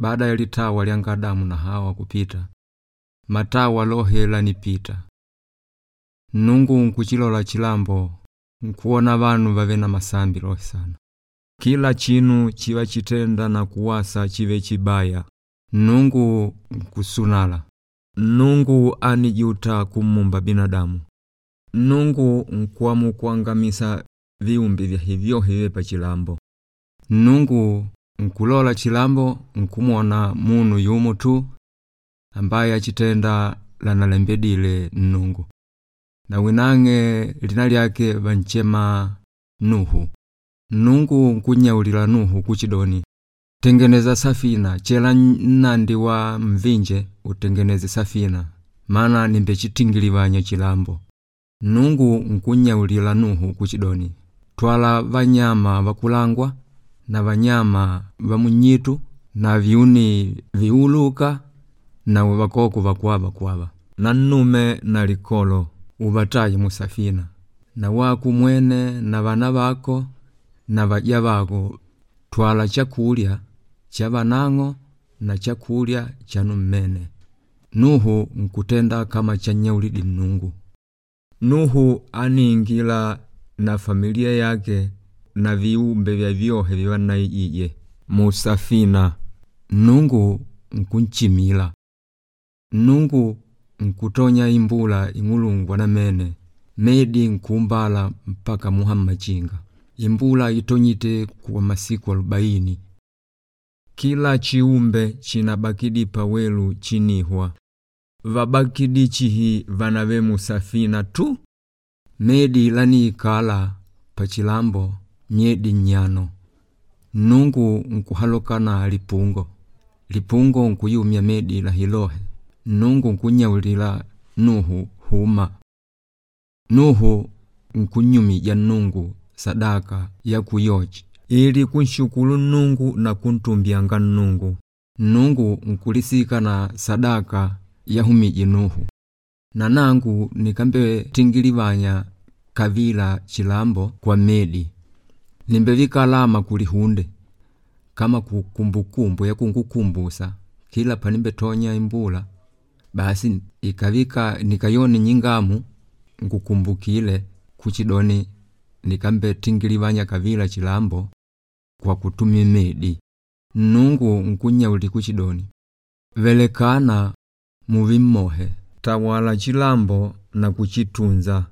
Baada ya litawa lyanga Adamu na Hawa kupita, matawa lohe lanipita. Nnungu nkuchilola chilambo nkuwona vanu vave na masambi lohe sana. Kila chinu chivachitenda na kuwasa chive chibaya. Nnungu nkusunala. Nnungu anijuta kumumba binadamu. Nnungu nkuamukuangamisa viumbe vyahe vyohe vye pachilambo. Nnungu nkulola chilambo nkumwona munu yumo tu ambaye achitenda lanalembedile Nnungu. Na winang'e lina lyake vanchema Nuhu. Nnungu nkunyaulila Nuhu kuchidoni, tengeneza safina chela nnandi wa mvinje utengeneze safina maana nimbechitingilivanya chilambo. Nnungu nkunyaulila Nuhu kuchidoni, twala vanyama vakulangwa na vanyama va munyitu na viuni viuluka na vakoko vakwava kwava na nnume na likolo uvataye musafina na wako mwene na vana vako na vaja vako twala chakulya cha vanang'o na chakulya chanu mmene. Nuhu nkutenda kama chanyaulidi Nnungu. Nuhu aniingila na familia yake na viumbe vya vyohe vivanaijije musafina. Nnungu nkunchimila. Nnungu nkutonya imbula ing'ulungwa namene medi nkumbala mpaka muha mmachinga. Imbula itonyite kwa masiku 40. Kila chiumbe chinabakidi pawelu chinihwa. Vabakidi chihi vanave musafina tu. Medi laniikala pachilambo myedi 5. Nnungu nkuhaloka na lipungo. Lipungo nkuyumya medi lahilohe. Nnungu nkunyaulila Nuhu huma. Nuhu nkunyumija Nnungu sadaka ya kuyochi ili kunshukuru Nnungu na kuntumbyanga Nnungu. Nnungu nkulisika na sadaka yahumiji Nuhu. Na nangu nikambe tingilivanya kavila chilambo kwa medi. Nimbevika alama kulihunde kama kukumbukumbu ya kungukumbusa kila panimbetonya imbula basi ikavika nikayoni nyingamu nkukumbukile kuchidoni nikambe tingilivanya kavila chilambo kwa kutumia medi. Nnungu nkunyauli kuchidoni velekana muvimmohe tawala chilambo na kuchitunza.